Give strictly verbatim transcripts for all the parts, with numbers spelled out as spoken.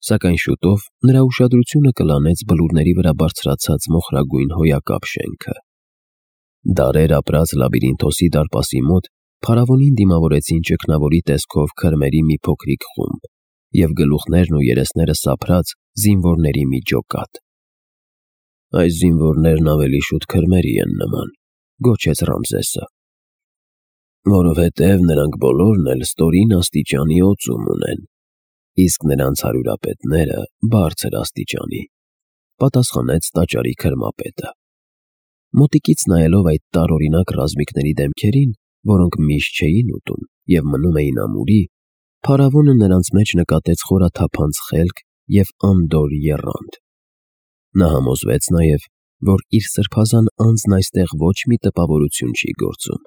Սակայն շուտով նրա ուշադրությունը կլանեց բլուրների վրա բարձրացած մոխրագույն հոյակապ շենքը։ Դարեր ապրած լաբիրինթոսի դարպասի մոտ փարավոնին դիմավորեցին ճգնավորի տեսքով քրմերի մի փոքրիկ խումբ և գլուխներն ու երեսները սափրած զինվորների մի ջոկատ։ «Այս զինվորներն ավելի շուտ քրմերի են նման», գոչեց Ռամզեսը, «որովհետև նրանք բոլորն էլ ստորին աստիճանի օծում ունեն, իսկ նրանց հարյուրապետները բարձր աստիճանի», պատասխանեց տաճարի քրմապետը։ Մոտիկից նայելով այդ տարօրինակ ռազմիկների դեմքերին, որոնք միշտ չէին ուտում և մնում էին ամուրի, փարավոնը նրանց մեջ նկատեց խորաթափանց խելք և անդորր եռանդ։ Նա համոզվեց նաև, որ իր սրբազան անձն այստեղ ոչ մի տպավորություն չի գործում։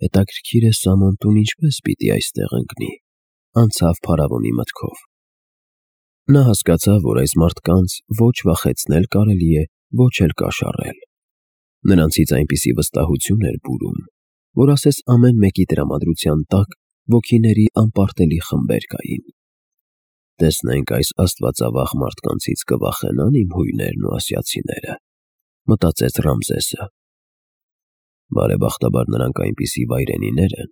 «Հետաքրքիր է Սամոն տուն ինչպես պիտի այստեղ ընկնի», անցավ փարավոնի մտքով։ Նա հասկացավ, որ այս մարդկանց ոչ վախեցնել կարելի է, ոչ էլ կաշառել։ Նրանցից այնպիսի վստահություն էր բուրում, որ ասես ամեն մեկի տրամադրության տակ ոգիների անպարտելի խմբեր կային։ «Տեսնենք այս աստվածավախ մարդկանցից կվախենա՞ն իմ հույներն ու ասիացիները», մտածեց Ռամզեսը։ Բարեբախտաբար նրանք այնպիսի վայրենիներ են,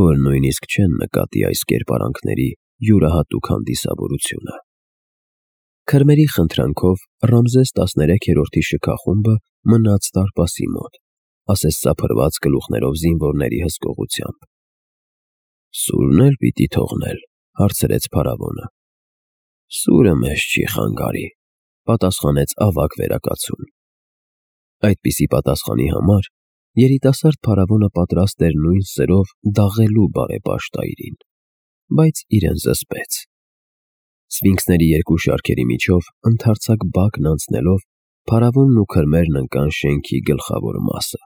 որ նույնիսկ չեն նկատի այս կերպարանքների յուրահատուկ հանդիսավորությունը։ Քրմերի խնդրանքով Ռամզես տասներեքերորդի շքախումբը մնաց դարպասի մոտ, ասես սափրված գլուխներով զինվորների հսկողությամբ։ «Սուրն էլ պիտի թողնել», հարցրեց փարավոնը։ «Սուրը մեզ չի խանգարի», պատասխանեց ավագ վերակացուն։ Այդպիսի պատասխանի համար երիտասարդ փարավոնը պատրաստ էր նույն սրով դաղելու բարեպաշտայրին, բայց իրեն զսպեց։ Սֆինքսների երկու շարքերի միջով ընդարձակ բակն անցնելով փարավոնն ու քրմերն ընկան շենքի գլխավոր մասը։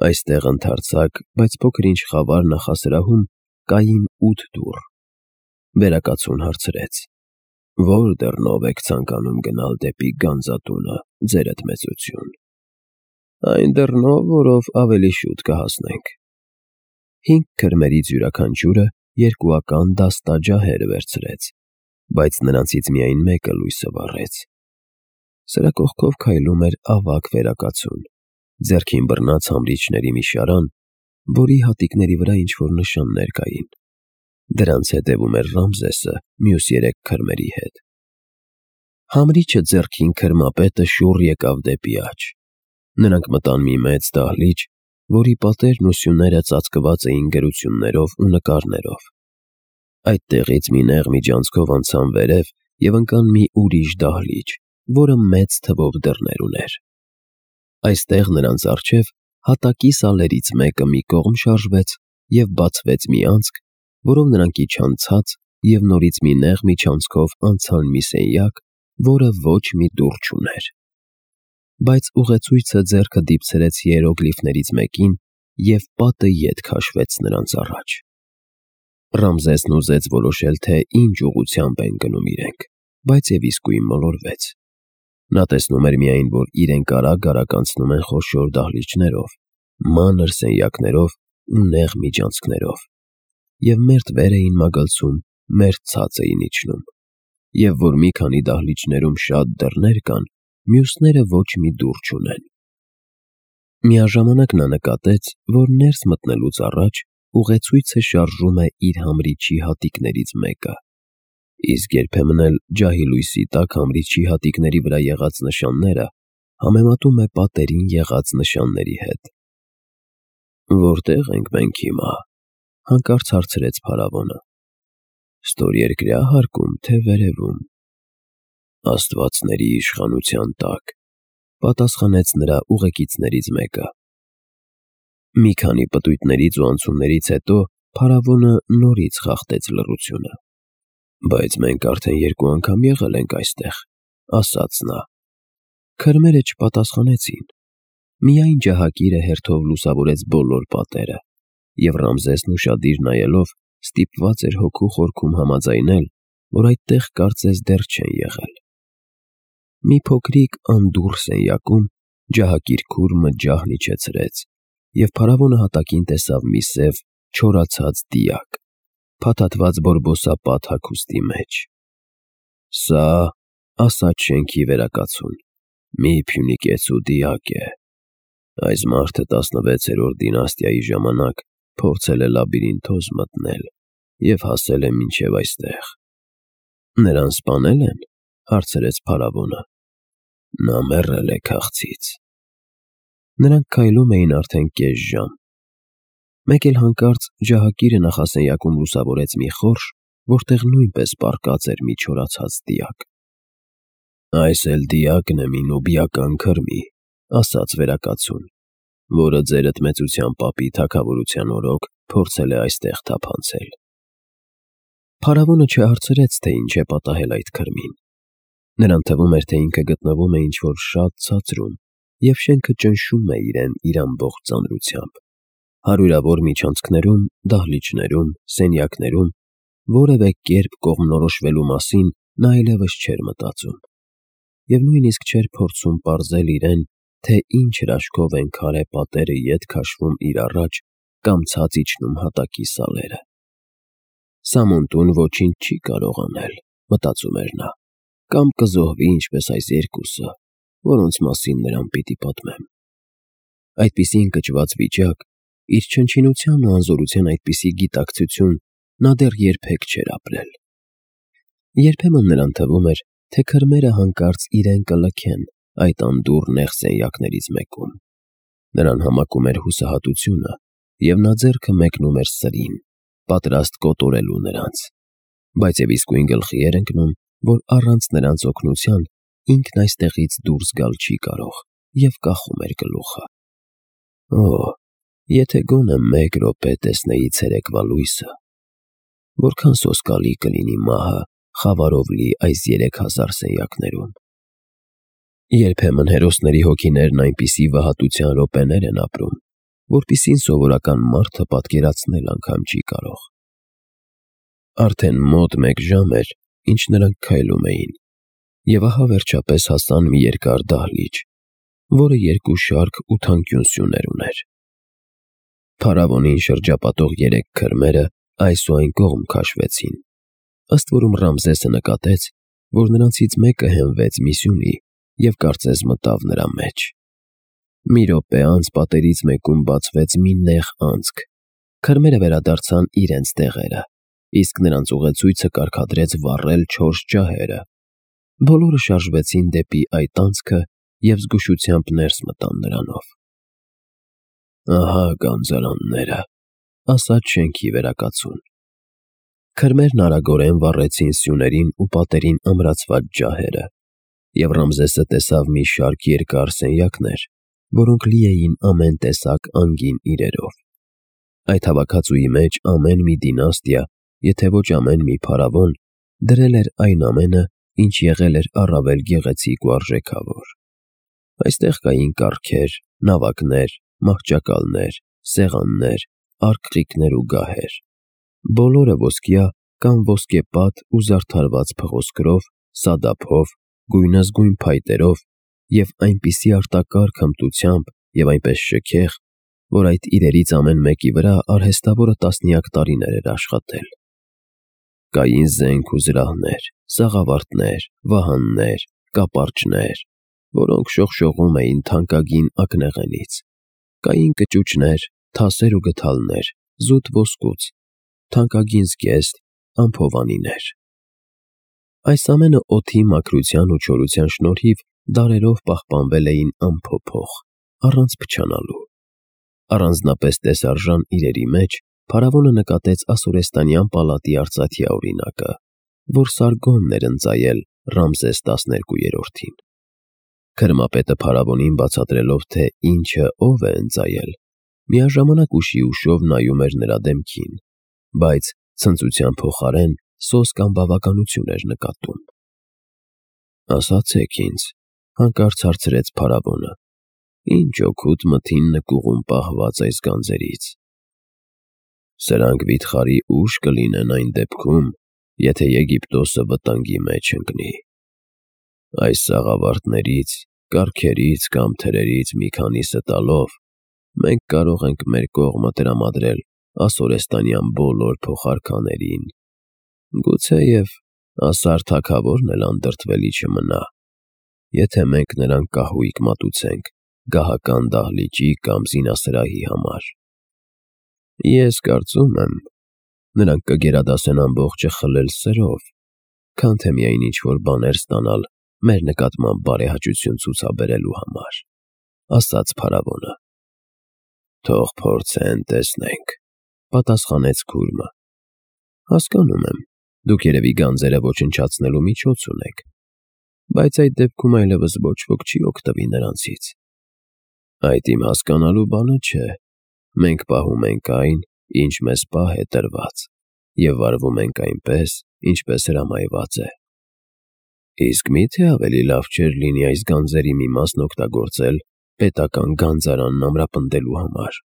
Այստեղ ընդարձակ, բայց փոքր-ինչ խավար նախասրահում կային ութ դուռ։ Վերակացուն հարցրեց. «Ո՞ր դռնով եք ցանկանում գնալ դեպի գանձատունը, ձերդ մեծություն»։ «Այն դռնով, որով ավելի շուտ կհասնենք»։ Հինգ քրմերից յուրաքանչյուրը երկուական դաստա ջահեր վերցրեց, բայց նրանցից միայն մեկը լույսը վառեց։ Սրա կողքով քայլում էր ավագ վերակացուն, ձեռքին բռնած համրիչների մի շարան, որի հատիկների վրա ինչ-որ նշաններ կային։ Դրանց հետևում էր Ռամզեսը մյուս երեք քրմերի հետ։ Համրիչը ձեռքին քրմապետը շուռ եկավ դեպի աջ։ Նրանք մտան մի մեծ դահլիճ, որի պատերն ու սյուները ծածկված էին գրություններով ու նկարներով։ Այդտեղից մի նեղ միջանցքով անցան վերև և ընկան մի ուրիշ դահլիճ, որը մեծ թվով դռներ ուներ։ Այստեղ նրանց առջև հատակի սալերից մեկը մի կողմ շարժվեց և բացվեց մի անցք, որով նրանք իջան ցած և նորից մի նեղ միջանցքով անցան մի սենյակ, որը ոչ մի դուռ չուներ։ Բայց ուղեցույցը ձեռքը դիպցրեց հիերոգլիֆներից մեկին, և պատը ետ քաշվեց նրանց առաջ։ Ռամզեսն ուզեց որոշել, թե ինչ ուղղությամբ են գնում իրենք, բայց և իսկույն մոլորվեց։ Նա տեսնում էր միայն, որ իրենք արագ-արագ անցնում են խոշոր դահլիճներով, մանր սենյակներով ու նեղ միջանցքներով, և մերթ վեր էին մագլցում, մերթ ցած էին իջնում, և որ մի քանի դահլիճներում շատ դռներ կան, մյուսները ոչ մի դուռ չունեն։ Միաժամանակ նա նկատեց, որ ներս մտնելուց առաջ ուղեցույցը շարժում է իր համրիչի հատիկներից մեկը, իսկ երբեմն էլ ջահի լույսի տակ համրիչի հատիկների վրա եղած նշանները համեմատում է պատերին եղած նշանների հետ։ «Որտե՞ղ ենք մենք հիմա», հանկարծ հարցրեց փարավոնը։ «Ստորերկրյա հարկում, թե վերևում»։ «Աստվածների իշխանության տակ», պատասխանեց նրա ուղեկիցներից մեկը։ Մի քանի պտույտներից ու անցումներից հետո փարավոնը նորից խախտեց լռությունը։ «Բայց մենք արդեն երկու անգամ եղել ենք այստեղ», ասաց նա։ Քրմերը չպատասխանեցին։ Միայն ջահակիրը հերթով լուսավորեց բոլոր պատերը, և Ռամզեսն ուշադիր նայելով ստիպված էր հոգու խորքում համաձայնել, որ այդտեղ կարծես դեռ չեն եղել։ Մի փոքրիկ անդուռ սենյակում ջահակիր քուրմը ջահն իջեցրեց, և փարավոնը հատակին տեսավ մի սև, չորացած դիակ, փաթաթված բորբոսապատ հագուստի մեջ։ Սա ասաց շենքի վերակացուն, մի փյունիկեցու դիակ է։ Այս մարդը տասնվեցերորդ դինաստիայի ժամանակ փորձել է լաբիրինթոզ մտնել և հասել է մինչև այստեղ։ Նրան սպանե՞լ են, հարցրեց փարավոնը։ Նա մեռել է քաղցից։ Նրանք քայլում էին արդեն կես ժամ։ Մեկ էլ հանկարծ ջահակիրը նախասենյակում լուսավորեց մի խորշ, որտեղ նույնպես պառկած էր մի չորացած դիակ։ Այս էլ դիակն է մի նուբիական քրմի, ասաց վերակացուն, որը ձեր ըտմեցության պապի թագավորության օրոք փորձել է այստեղ թափանցել։ Փարավոնը չհարցրեց, թե ինչ է պատահել այդ քրմին։ Նրան թվում էր, թե ինքը գտնվում է ինչ-որ շատ ցածրում, և շենքը ճնշում է իրեն իր ամբողջ ծանրությամբ։ Հարյուրավոր միջանցքներում, դահլիճներում, սենյակներում որևէ կերպ կողմնորոշվելու մասին նա այլևս չէր մտածում, և նույնիսկ չէր փորձում պարզել իրեն, թե ինչ հրաշքով են քարե պատերը ետ քաշվում իր առաջ կամ ցած իջնում հատակի սալերը։ Սամոնտուն ոչինչ չի կարող անել, մտածում էր նա, կամ կզոհվի ինչպես այս երկուսը, որոնց մասին նրան պիտի պատմեմ։ Այդպիսի ընկճված վիճակ, իր չնչինության ու անզորության այդպիսի գիտակցություն նա դեռ երբեք չէր ապրել։ Երբեմն նրան թվում էր, թե քրմերը հանկարծ իրեն կլքեն այդ անդուռ նեղ սենյակներից մեկում։ Նրան համակում էր հուսահատությունը, և նա ձեռքը մեկնում էր սրին, պատրաստ կոտորելու նրանց, բայց և իսկույն գլխի էր ընկնում, որ առանց նրանց օգնության ինքն այստեղից դուրս գալ չի կարող, և կախում էր գլուխը։ Օ՜, եթե գոնե մեկ րոպե տեսնեի ցերեկվա լույսը, որքան սոսկալի կլինի մահը խավարով լի այս երեք հազար սենյակներում։ Երբեմն հերոսների հոգիներն այնպիսի վհատության րոպեներ են ապրում, որպիսին սովորական մարդը պատկերացնել անգամ չի կարող։ Արդեն մոտ մեկ ժամ էր, ինչ նրանք քայլում էին, և ահա վերջապես հասան մի երկար դահլիճ, որը երկու շարք ու թանկյուն սյուներ ուներ։ Փարավոնին շրջապատող երեք քրմերը այս ու այն կողմ քաշվեցին, ըստ որում Ռամզեսը նկատեց, որ նրանցից մեկը հենվեց մի սյունի և կարծես մտավ նրա մեջ։ Մի րոպե անց պատերից մեկում բացվեց մի նեղ անցք, քրմերը վերադարձան իրենց տեղերը, իսկ նրանց ուղեցույցը կարգադրեց վառել չորս ջահերը։ Բոլորը շարժվեցին դեպի այդ անցքը և զգուշությամբ ներս մտան նրանով։ Ահա գանձարանները, ասաց շենքի վերակացուն։ Քրմերն արագորեն վառեցին սյուներին ու պատերին ամրացված ջահերը, և Ռամզեսը տեսավ մի շարք երկար սենյակներ, որոնք լի էին ամեն տեսակ անգին իրերով։ Այդ հավաքածուի մեջ ամեն մի դինաստիա, եթե ոչ ամեն մի փարավոն, դրել էր այն ամենը, ինչ եղել էր առավել գեղեցիկ ու արժեքավոր։ Այստեղ կային կառքեր, նավակներ, մահճակալներ, սեղաններ, արկղիկներ ու գահեր, բոլորը ոսկյա կամ ոսկեպատ ու զարդարված փղոսկրով, սադափով, գույնզգույն փայտերով և այնպիսի արտակարգ հմտությամբ և այնպես շքեղ, որ այդ իրերից ամեն մեկի վրա արհեստավորը տասնյակ տարիներ էր աշխատել։ Կային զենք ու զրահներ, սաղավարտներ, վահաններ, կապարճներ, որոնք շողշողում էին թանկագին ակնեղենից, կային կճուճներ, թասեր ու գդալներ, զուտ ոսկուց, թանկագին զգեստ, անփովանիներ։ Այս ամենը օդի մաքրության ու չորության շնորհիվ դարերով պահպանվել էին անփոփոխ, առանց փչանալու։ Առանձնապես տեսարժան իրերի մեջ փարավոնը նկատեց ասորեստանյան պալատի արծաթյա օրինակը, որ Սարգոնն էր ընծայել Ռամզես տասներկուերորդին։ Քրմապետը փարավոնին բացատրելով, թե ինչը ով է ընծայել, միաժամանակ ուշի ուշով նայում էր նրա դեմքին, բայց ցնծության փոխարեն սոսկ անբավականություն էր նկատում։ Ասացեք ինձ, հանկարծ հարցրեց փարավոնը, ինչ օգուտ մթին նկուղում պահված այս գանձերից։ Սրանք վիթխարի ուժ կլինեն այն դեպքում, եթե Եգիպտոսը վտանգի մեջ ընկնի։ Այս սաղավարտներից, կառքերից կամ թրերից մի քանիսը տալով, մենք կարող ենք մեր կողմը տրամադրել ասորեստանյան բոլոր փոխարքաներին, գուցեև ասար թագավորն էլ անդրդվելի չմնա, եթե մենք նրան կահույք մատուցենք գահական դահլիճի կամ զինասրահի համար։ Ես կարծում եմ, նրանք կգերադասեն ամբողջը խլել սրով, քան թե միայն ինչ-որ բաներ ստանալ մեր նկատմամբ բարեհաճություն ցուցաբերելու համար, ասաց փարավոնը։ Թող փորձեն, տեսնենք, պատասխանեց քուրմը։ Հասկանում եմ, դուք երևի գանձերը ոչնչացնելու միջոց ունեք, բայց այդ դեպքում այլևս ոչ ոք չի օգտվի նրանցից։ Այդ իմ հասկանալու բանը չէ, մենք պահում ենք այն, ինչ մեզ պահ է տրված, և վարվում ենք այնպես, ինչպես հրամայված է։ Իսկ մի՞թե ավելի լավ չէր լինի այս գանձերի մի մասն օգտագործել պետական գանձարանն ամրապնդելու համար,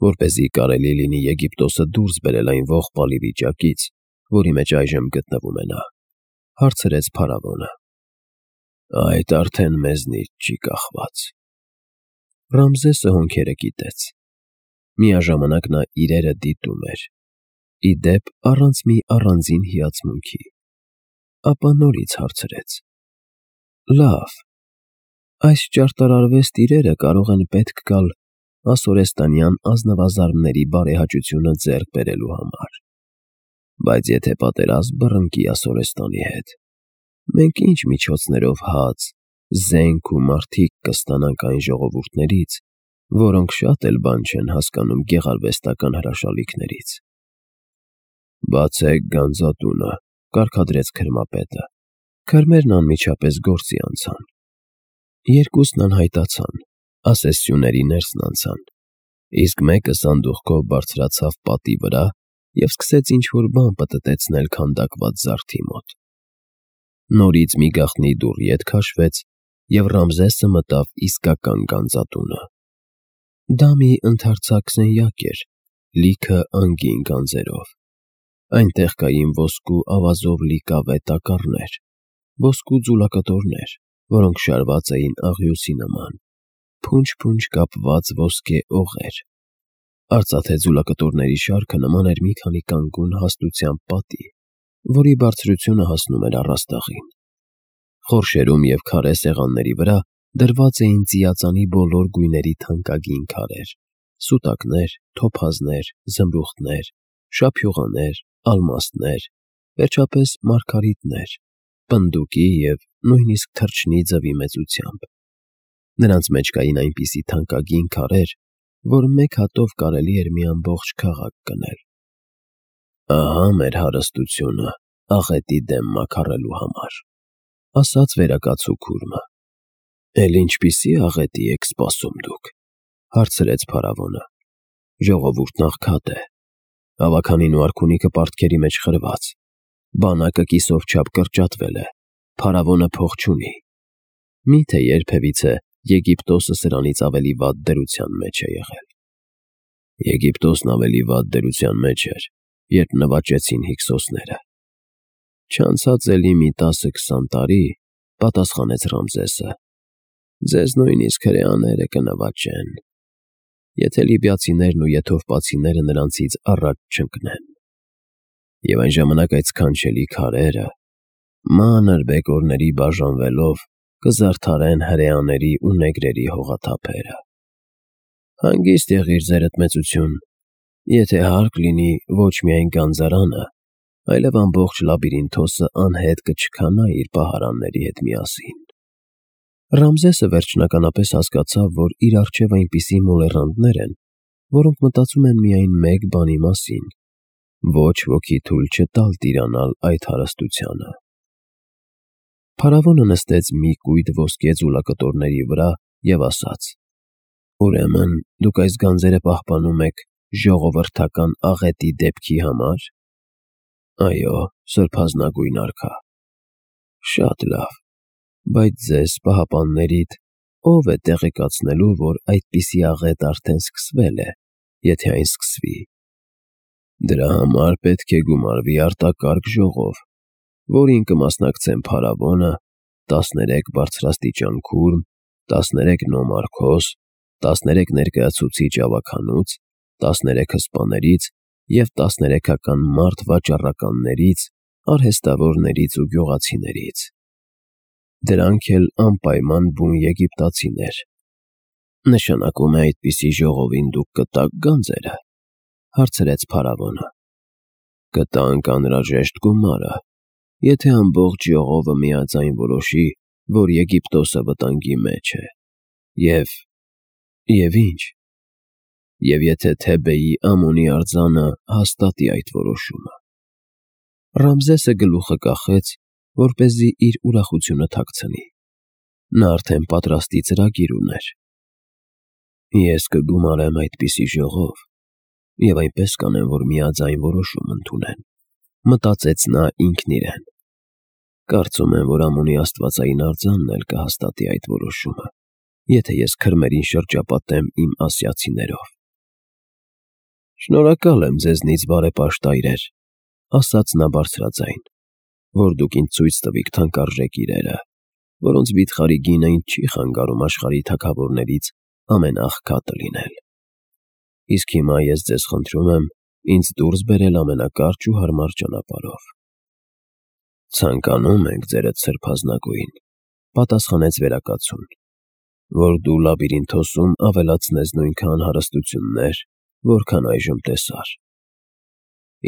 որպեսզի կարելի լինի Եգիպտոսը դուրս բերել այն ողբալի վիճակից, որի մեջ այժմ գտնվում է նա, հարցրեց փարավոնը։ Այդ արդեն մեզնից չի կախված։ Ռամզեսը հոնքերը կիտեց։ Միաժամանակ նա իրերը դիտում էր, ի դեպ առանց մի առանձին հիացմունքի, ապա նորից հարցրեց. Լավ, այս ճարտարարվեստ իրերը կարող են պետք գալ ասորեստանյան ազնվազարդների բարեհաճությունը ձեռք բերելու համար, բայց եթե պատերազմ բռնկի Ասորեստանի հետ, մենք ինչ միջոցներով հաց, զենք ու մարդիկ կստանանք այն ժողովուրդներից, որոնք շատ էլ բան չեն հասկանում գեղարվեստական հրաշալիքներից։ Բացեք գանձատունը, կարգադրեց քրմապետը։ Քրմերն անմիջապես գործի անցան։ Երկուսն անհայտացան, ասես սյուների ներսն անցան, իսկ մեկը սանդուղքով բարձրացավ պատի վրա և սկսեց ինչ-որ բան պտտեցնել քանդակված զարդի մոտ։ Նորից մի գաղտնի դուռ ետ քաշվեց, և Ռամզեսը մտավ իսկական գանձատունը։ Դա մի ընդարձակ սենյակ էր, լիքը անգին գանձերով։ Այնտեղ կային ոսկու ավազով լի կավե տակառներ, ոսկու ձուլակտորներ, որոնք շարված էին աղյուսի նման, փունջ-փունջ կապված ոսկե օղեր։ Արծաթե ձուլակտորների շարքը նման էր մի քանի կանգուն հաստությամբ պատի, որի բարձրությունը հասնում էր առաստաղին։ Խորշերում և քարե սեղանների վրա դրված էին ծիածանի բոլոր գույների թանկագին քարեր, սուտակներ, թոփազներ, զմրուխտներ, շափյուղաներ, ալմաստներ, վերջապես մարգարիտներ, պնդուկի և նույնիսկ թռչնի ձվի մեծությամբ։ Նրանց մեջ կային այնպիսի թանկագին քարեր, որ մեկ հատով կարելի էր մի ամբողջ քաղաք կնել։ Ահա մեր հարստությունը աղետի դեմ մաքարելու համար, ասաց վերակացու քուրմը։ Էլ ինչպիսի աղետի եք սպասում դուք, հարցրեց փարավոնը։ Ժողովուրդն աղքատ է, ավագանին ու արքունիքը պարտքերի մեջ խրված, բանակը կիսով չափ կրճատվել է, փարավոնը փող չունի։ Մի՞թե երբևիցե Եգիպտոսը սրանից ավելի վատ դրության մեջ է եղել։ Եգիպտոսն ավելի վատ դրության մեջ էր, երբ նվաճեցին հykսոսները։ Չանցած էլի մի տասը-քսան տարի, պատասխանեց Ռամզեսը, ձեզ նույնիսկ հրեաները կնվաճեն, եթե լիբիացիներն ու եթովպացիները նրանցից առաջ չընկնեն։ Եվ այն ժամանակ այդ սքանչելի քարերը, մանր բեկորների բաժանվելով, կզարդարեն հրեաների ու նեգրերի հողաթափերը։ Հանգիստ եղիր, ձերդ մեծություն, եթե հարկ լինի ոչ միայն գանձարանը, այլև ամբողջ Լաբիրինթոսը անհետ կչքանա իր պահարանների հետ միասին։ Ռամզեսը վերջնականապես հասկացավ, որ իր առջև այնպիսի մոլեռանդներ են, որոնք մտածում են միայն մեկ բանի մասին՝ ոչ ոքի թույլ չտալ տիրանալ այդ հարստությանը։ Փարավոնը նստեց մի կույտ ոսկե ձուլակտորների վրա և ասաց. Ուրեմն դուք այս գանձերը պահպանում եք ժողովրդական աղետի դեպքի համար։ Այո, սրբազնագույն արքա։ Շատ լավ, բայց ձեզ պահապաններիդ ո՞վ է տեղեկացնելու, որ այդպիսի աղետ արդեն սկսվել է, եթե այն սկսվի։ Դրա համար պետք է գումարվի արտակարգ ժողով, որին կմասնակցեն փարավոնը, տասներեք բարձրաստիճան քուրմ, տասներեք նոմարքոս, տասներեք ներկայացուցիչ ավագանուց, տասներեք հսպաներից և տասներեքական մարդ վաճառականներից, արհեստավորներից ու գյուղացիներից։ Դրանք էլ անպայման բուն եգիպտացիներ։ Նշանակում է այդպիսի ժողովին դուք կտաք գանձերը, հարցրեց փարավոնը։ Կտանք անհրաժեշտ գումարը, եթե ամբողջ ժողովը միաձայն որոշի, որ Եգիպտոսը վտանգի մեջ է, և… և ինչ, և եթե Թեբեի Ամոնի արձանը հաստատի այդ որոշումը։ Ռամզեսը գլուխը կախեց, որպեսզի իր ուրախությունը թաքցնի։ Նա արդեն պատրաստի ծրագիր ուներ։ Ես կգումարեմ այդպիսի ժողով, և այնպես կանեմ, որ միաձայն որոշում ընդունեն, մտածեց նա ինքն իրեն։ Կարծում եմ, որ Ամոնի աստվածային արձանն էլ կհաստատի այդ որոշումը, եթե ես քրմերին շրջապատեմ իմ ասիացիներով։ Շնորհակալ եմ ձեզնից, բարեպաշտ այրեր, ասաց նա բարձրաձայն, որ դուք ինձ ցույց տվիք թանկարժեք իրերը, որոնց վիթխարի գինը ինձ չի խանգարում աշխարհի թագավորներից ամենաաղքատը լինել։ Իսկ հիմա ես ձեզ խնդրում եմ ինձ դուրս բերել ամենակարճ ու հարմար ճանապարհով։ Ցանկանում ենք, ձերդ սրբազնագույն, պատասխանեց վերակացուն, որ դու Լաբիրինթոսում ավելացնես նույնքան հարստություններ, որքան այժմ տեսար։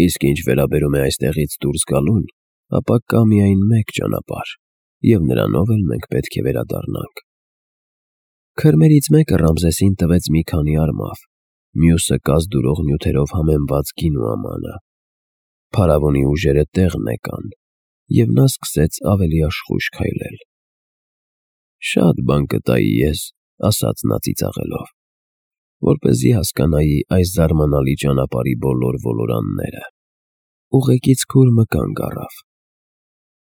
Իսկ ինչ վերաբերում է այստեղից դուրս գալուն, ապա կա միայն մեկ ճանապարհ, և նրանով էլ մենք պետք է վերադառնանք։ Քրմերից մեկը Ռամզեսին տվեց մի քանի արմավ, մյուսը կազդուրող նյութերով համեմված գինու ամանը։ Փարավոնի ուժերը տեղն եկան, և նա սկսեց ավելի աշխույժ քայլել։ Շատ բան կտայի ես, ասաց նա ծիծաղելով, որպեսզի հասկանայի այս զարմանալի ճանապարհի բոլոր ոլորանները։ Ուղեկից քուրմը կանգ առավ։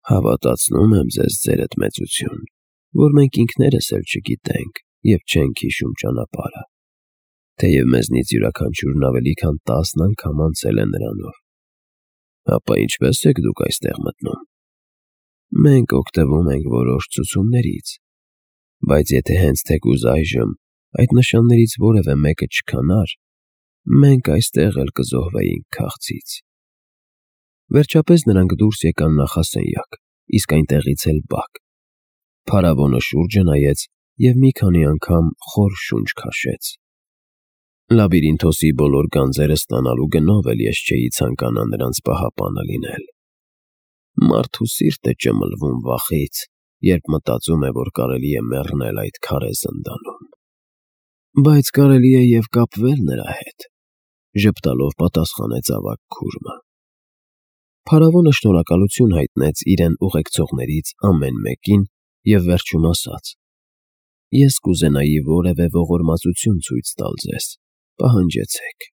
Հավատացնում եմ ձեզ, ձերդ մեծություն, որ մենք ինքներս էլ չգիտենք և չենք հիշում ճանապարհը, թեև մեզնից յուրաքանչյուրն ավելի քան տասն անգամ անցել է նրանով։ Ապա ինչպե՞ս եք դուք այստեղ մտնում։ Մենք օգտվում ենք որոշ ցուցումներից, բայց եթե հենց թեկուզ այժմ այդ նշաններից որևէ մեկը չքանար, մենք այստեղ էլ կզոհվեինք քաղցից։ Վերջապես նրանք դուրս եկան նախասենյակ, իսկ այնտեղից էլ բակ։ Փարավոնը շուրջը նայեց և մի քանի անգամ խոր շունչ քաշեց։ Լաբիրինթոսի բոլոր գանձերը ստանալու գնով էլ ես չէի ցանկանա նրանց պահապանը լինել։ Մարդու սիրտը ճմլվում վախից, երբ մտածում է, որ կարելի է մեռնել այդ քարե զնդանում։ Բայց կարելի է և կապվել նրա հետ, ժպտալով պատասխանեց ավագ քուրմը։ Փարավոնը շնորհակալություն հայտնեց իրեն ուղեկցողներից ամեն մեկին և վերջում ասաց. Ես կուզենայի որևէ ողորմածություն ցույց տալ ձեզ, պահանջեցեք։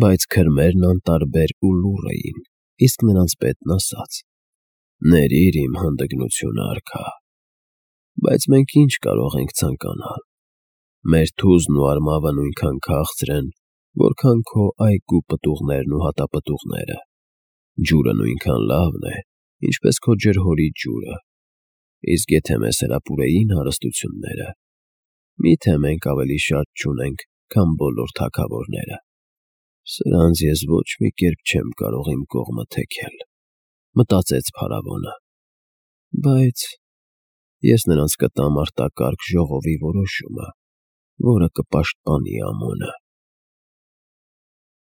Բայց քրմերն անտարբեր ու լուռ էին, իսկ նրանց պետն ասաց. Ներիր իմ հանդգնությունը, արքա, բայց մենք ինչ կարող ենք ցանկանալ։ Մեր թուզն ու արմավը նույնքան քաղցր են, որքան քո այգու պտուղներն ու հատապտուղները, ջուրը նույնքան լավն է, ինչպես քո ջրհորի ջուրը, իսկ եթե մեզ հրապուրեին հարստությունները, մի՞թե մենք ավելի շատ չունենք, քան բոլոր թագավորները։ Սրանց ես ոչ մի կերպ չեմ կարող իմ կողմը թեքել, մտածեց փարավոնը, բայց ես նրանց կտամ արտակարգ ժողովի որոշումը, որը կպաշտպանի Ամոնը։